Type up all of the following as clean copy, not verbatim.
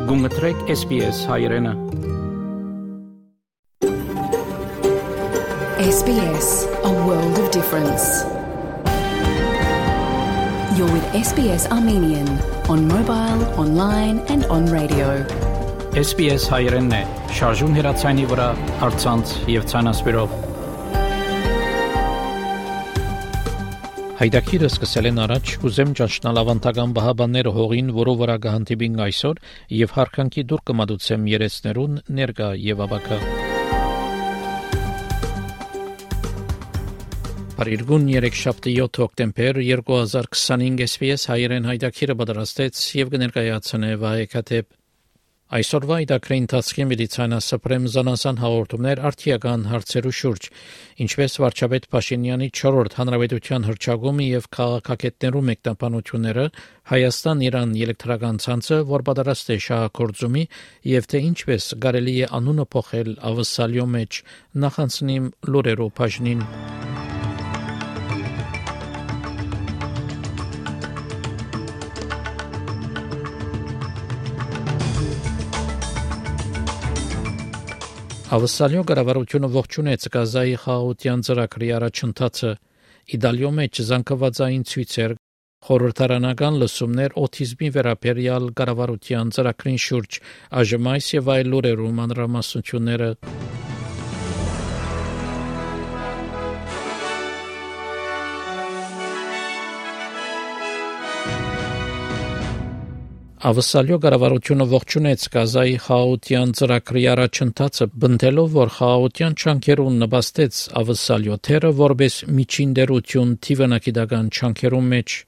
Գումտրեք SBS հայրենը։ SBS, a world of difference. You're with SBS Armenian on mobile, online and on radio. SBS հայրենն է, շարժուն հեռացանի վրա, առցանց եւ ցանասպիրով։ Հայդակիրը սկսել են առաջ, կուզեմ ճանչնալ ավանդական բահաբանները հողին, որով վրա կհանդիպինք այսօր, եւ հարկանքի դուր կմատուցեմ երեցներուն ներկա եւ ավակա։ Բարիրգուն 3-7 հոկտեմբեր 2025 SBS հայերեն հայդակիրը պատրաստեց եւ կներկայացնե Վահեկաթեփ։ Այսօրվա իդակրի ընթացքի մեդիցինասպրեմ զանազան հաղորդումներ արդիական հարցերու շուրջ, ինչպես վարչապետ Փաշինյանի 4-րդ հանրապետության հռչակումը եւ քաղաքագետներու մեկնաբանությունները, Հայաստան-Իրան էլեկտրական ցանցը, որ պատրաստ է շահագործումի, եւ թե ինչպես կարելի է անունը փոխել ավսալյո մեջ, նախանցնիմ լուրերով բաժնին։ Ավսալյո կառավարությունը ողջունեց Գազայի խաղաղության ծրագրի առաջընթացը, Իտալիո մեջ զանգվածային ցույցեր, խորհրդարանական լսումներ օտիզմի վերաբերյալ կառավարության ծրագրին շուրջ, այժմ այս եւ այլ լուրերու մանրամասնությունները։ Ավսալյո կառավարությունը ողջունեց Գազայի խաղաղության ծրագրի առաջընթացը, բնտելով, որ խաղաղության չանքերուն նպաստեց Ավսալյո թերը որպես միջին դերություն թիվանակիդական չանքերուն մեջ։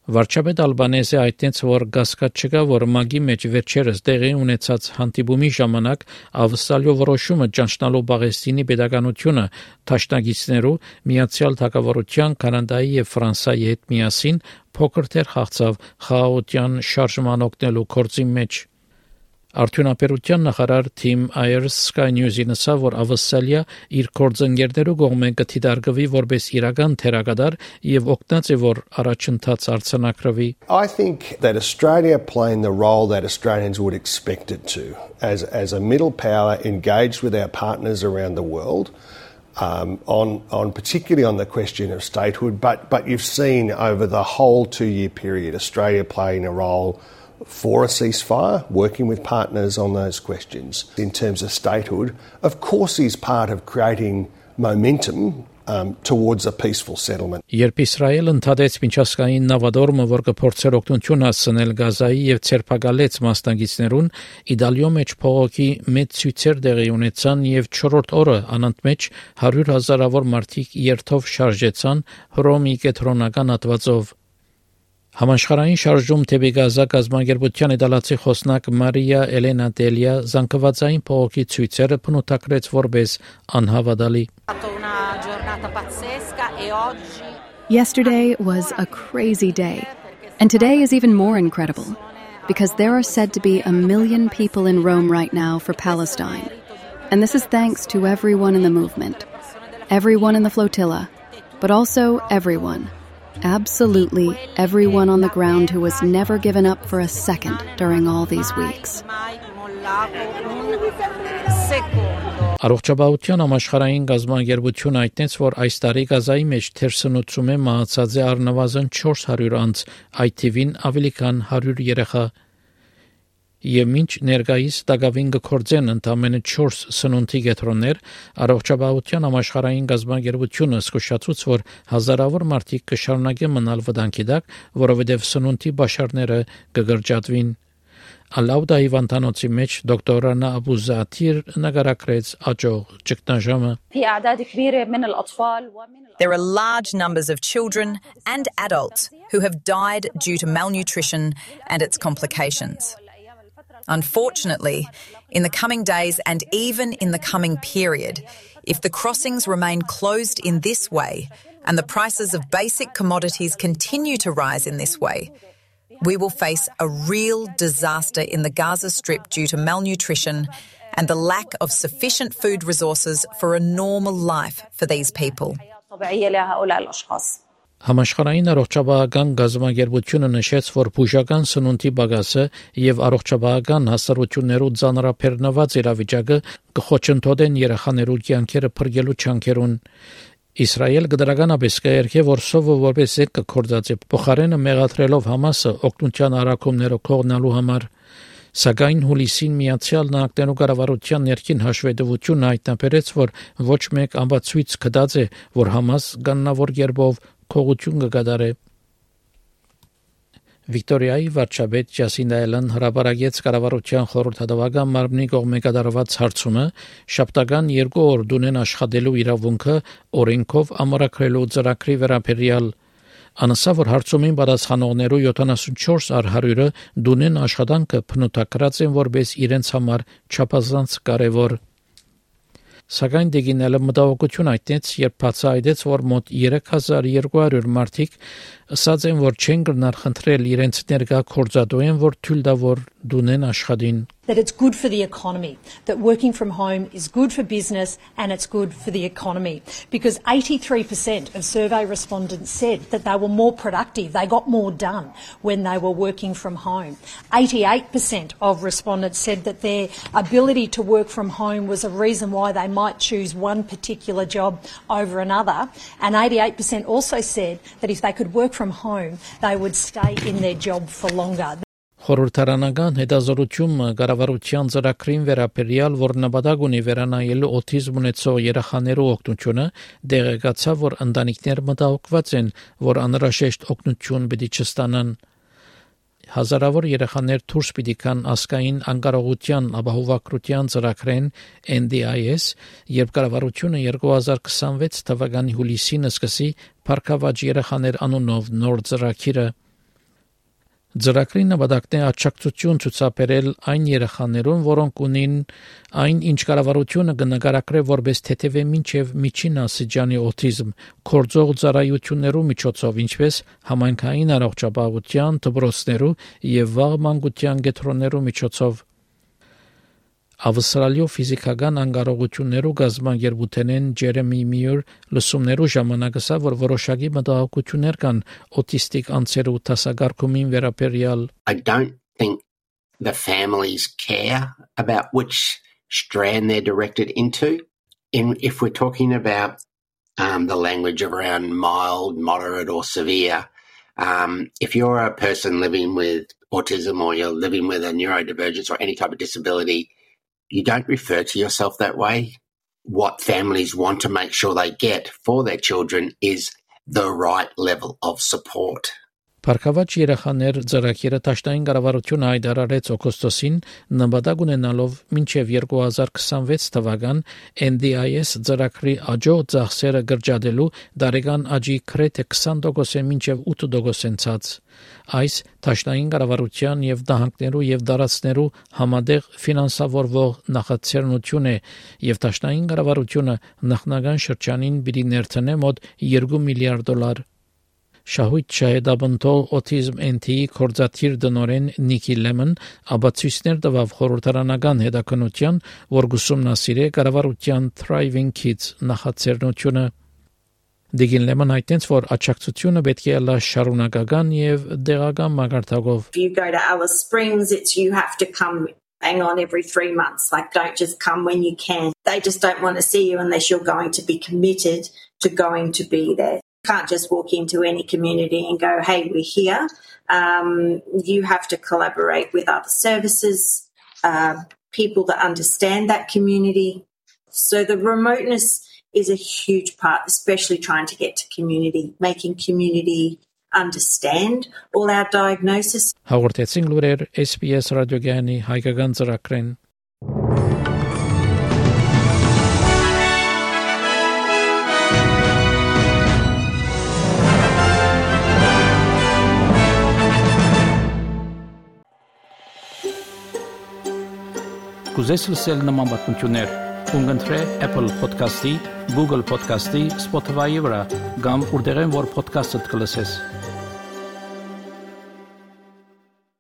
Վարչապետ Ալբանեզը հայտնեց, որ կասկած չկա, որ ՄԱԳ-ի մեջ վերջերս տեղի ունեցած հանդիպումի ժամանակ Ավսալյո որոշումը ճանչնալու Պաղեստինի պետականությունը դաշնակիցներու Միացյալ Թագավորության, Կանադայի եւ Ֆրանսիայի հետ միասին փոքր թեր խաղացավ խաղաղության շարժման օգնելու գործի մեջ։ Արդյունաբերության նախարար Թիմ Այերս Sky News-ին ասավ, որ Ավսալիա իր գործընկերներու կողմէ կդիտարկվի որպես իրական թերագադար եւ օգնած է, որ առաջընթաց արձանագրվի։ I think that Australia playing the role that Australians would expect it to as a middle power engaged with our partners around the world on particularly on the question of statehood, but you've seen over the whole 2-year period Australia playing a role for a ceasefire, working with partners on those questions. In terms of statehood, of course is part of creating momentum towards a peaceful settlement. Երբ Իսրայելը ընդհատեց միջազգային նավադորմը, որ կփորձեր օգնություն հասցնել Գազայի եւ ցերպակալեց մասնակիցներուն, Իտալիո մեջ փողոքի մեծ ցույցեր տեղի ունեցան եւ 4-րդ օրը անընդմեջ 100,000-ավոր մարդիկ երթով շարժեցան Հռոմի կենտրոնական հատվածով։ Համաշխարհային շարժում թեպի Գազա կազմակերպության իտալացի խոսնակ Մարիա Էլենա Դելիա զանգվածային փողոքի ցույցերը բնութագրեց որպես անհավատալի։ Yesterday was a crazy day, and today is even more incredible, because there are said to be 1 million people in Rome right now for Palestine. And this is thanks to everyone in the movement, everyone in the flotilla, but also everyone. Absolutely everyone on the ground who has never given up for a second during all these weeks. Առողջապահության համաշխարհային կազմակերպությունը հայտնեց, որ այս տարի Գազայի մեջ թերսնուցում է մահացած է առնվազն 400 անձ, այդ թիվին ավելի քան 100 երեխա։ Եվ մինչ ներկայիս դակավին կգործեն ընդամենը 4 սնունդի կենտրոններ, առողջապահության համաշխարհային կազմակերպությունը զսկուշացուց, որ հազարավոր մարդիկ կշարունակեն մնալ վտանգի տակ, որովհետև սնունդի բաշարները կգրջատվին։ Ալաուդա հիվանդանոցի մեջ դոկտոր Ռանա Աբուզաթիր նկարագրեց աճող ճգնաժամը։ There are large numbers of children and adults who have died due to malnutrition and its complications. Unfortunately, in the coming days and even in the coming period, if the crossings remain closed in this way and the prices of basic commodities continue to rise in this way, we will face a real disaster in the Gaza Strip due to malnutrition and the lack of sufficient food resources for a normal life for these people. Համաշխարհային առողջապահական գազամագերբությունը նշեց, որ բուժական սնունդի բագասը եւ առողջապահական հասարություններու ծանրաբեռնված իրավիճակը կխոչընդոտեն երեխաներու կյանքերը փրկելու չանքերուն։ Իսրայել գդրականապես կերկե, որ սովը որպես զենք կորձած է, փոխարենը մեղադրելով Համասը օգնության արակումները կողնալու համար։ Սակայն հուլիսին Միացյալ Նահանգներու կառավարության ներքին հաշվետվությունը հայտնաբերեց, որ ոչ մեկ ամբացույց կդած է, որ Համաս կանոնավոր կերպով քողություն կգադարե։ Վիկտորիայի վարչապետ Ջասինդա Ալեն հրապարակեց կառավարության խորհրդատվական մարմնի կողմէ կատարված հարցումը շաբթական 2 օր դունեն աշխատելու իրավունքը օրենքով ամրագրելու ծրագրի վերաբերյալ։ Անասա, որ հարցումին պատասխանողներու 74 առ 100-ը դունեն աշխատանքը բնութագրած են որպես իրենց համար չափազանց կարևոր։ Սակայն դեգինելը մտահոգություն հայտնեց, երբ բացահայտեց, որ մոտ 3200 մարդիկ ասած են, որ չեն գնար խնդրել իրենց ներկա կորձատուեն, որ թույլ տա որ դունեն աշխատին։ That it's good for the economy, that working from home is good for business and it's good for the economy. Because 83% of survey respondents said that they were more productive, they got more done when they were working from home. 88% of respondents said that their ability to work from home was a reason why they might choose one particular job over another. And 88% also said that if they could work from home, they would stay in their job for longer. Խորհրդարանական հետազոտությունը կառավարության ծրագրին վերաբերյալ, որ նպատակ ունի վերանայելու օտիզմ ունեցող երեխաներու օգնությունը, դեղեկացավ, որ ընտանիքներ մտահոգված են, որ անհրաժեշտ օգնություն պիտի չստանան։ Հազարավոր երեխաներ դուրս պիտի գան ազգային անկարողության ապահովագրության ծրագրեն NDIS, երբ կառավարությունը 2026 թվականի հուլիսին սկսի Փառքավաճ երեխաներ անունով նոր ծրագիրը։ Ծրագրի նպատակն է աջակցություն ցուցաբերել այն երեխաներուն, որոնք ունին այն, ինչ կառավարությունը կնկարագրե որպես թեթևե մինչև միջին աստիճանի օտիզմ, կորձող ծառայություններու միջոցով, ինչպես համայնքային առողջապահության, դպրոցներու եւ վաղ մանկության կենտրոններու միջոցով։ Ավստրալիո ֆիզիկական անկարողություններու գազամագերբութենեն Ջերեմի Միյուր լսումներու ժամանակ ասավ, որ որոշակի մտահոգություններ կան օտիստիկ անձերու դասակարգումին վերաբերյալ։ I don't think the families care about which strand they're directed into. If we're talking about the language around mild, moderate or severe, if you're a person living with autism or you're living with a neurodivergence or any type of disability, you don't refer to yourself that way. What families want to make sure they get for their children is the right level of support. Փառքավաճ երեխաներ ծրագիրը Դաշնային կառավարությունը հայտարարեց օգոստոսին, նպատակ ունենալով մինչև 2026 թվական NDIS ծրագրի աջող ծախսերը գրջադելու տարեկան աճի գրեթե 20%-ը մինչև 8% ցած։ Այս Դաշնային կառավարության եւ դահանքներու եւ դարածներու համատեղ ֆինանսավորվող նախաձեռնություն է եւ Դաշնային կառավարությունը նախնական շրջանին պիտի ներդնե մոտ $2 միլիարդ։ Շահույթ շահեդաբնթող օտիզմ NT-ի կորձաթիր դնորեն Նիկի Լեմն ապացույցներ տվավ խորհրդարանական հետաքննության, որ գուսումնասիրե կառավարության Thriving Kids նախաձեռնությունը։ Դիգին Լեմն հայտնեց, որ աջակցությունը պետք է լա շարունակական եւ դեղական մակարդակով։ If you go to Alice Springs, it's you have to come hang on every 3 months. Like, don't just come when you can. They just don't want to see you unless you're going to be committed to going to be there. You can't just walk into any community and go, hey, we're here. You have to collaborate with other services, people that understand that community. So the remoteness is a huge part, especially trying to get to community, making community understand all our diagnosis. Հաղորդեցին լուրեր SBS ռադիոգյանի հայկական ծրագրեն։ Կուզես լսել նման բանություններ, կընտրե Apple Podcast-ի, Google Podcast-ի, Spotify-ի վրա, կամ որտեղեն որ podcast-ը կլսես։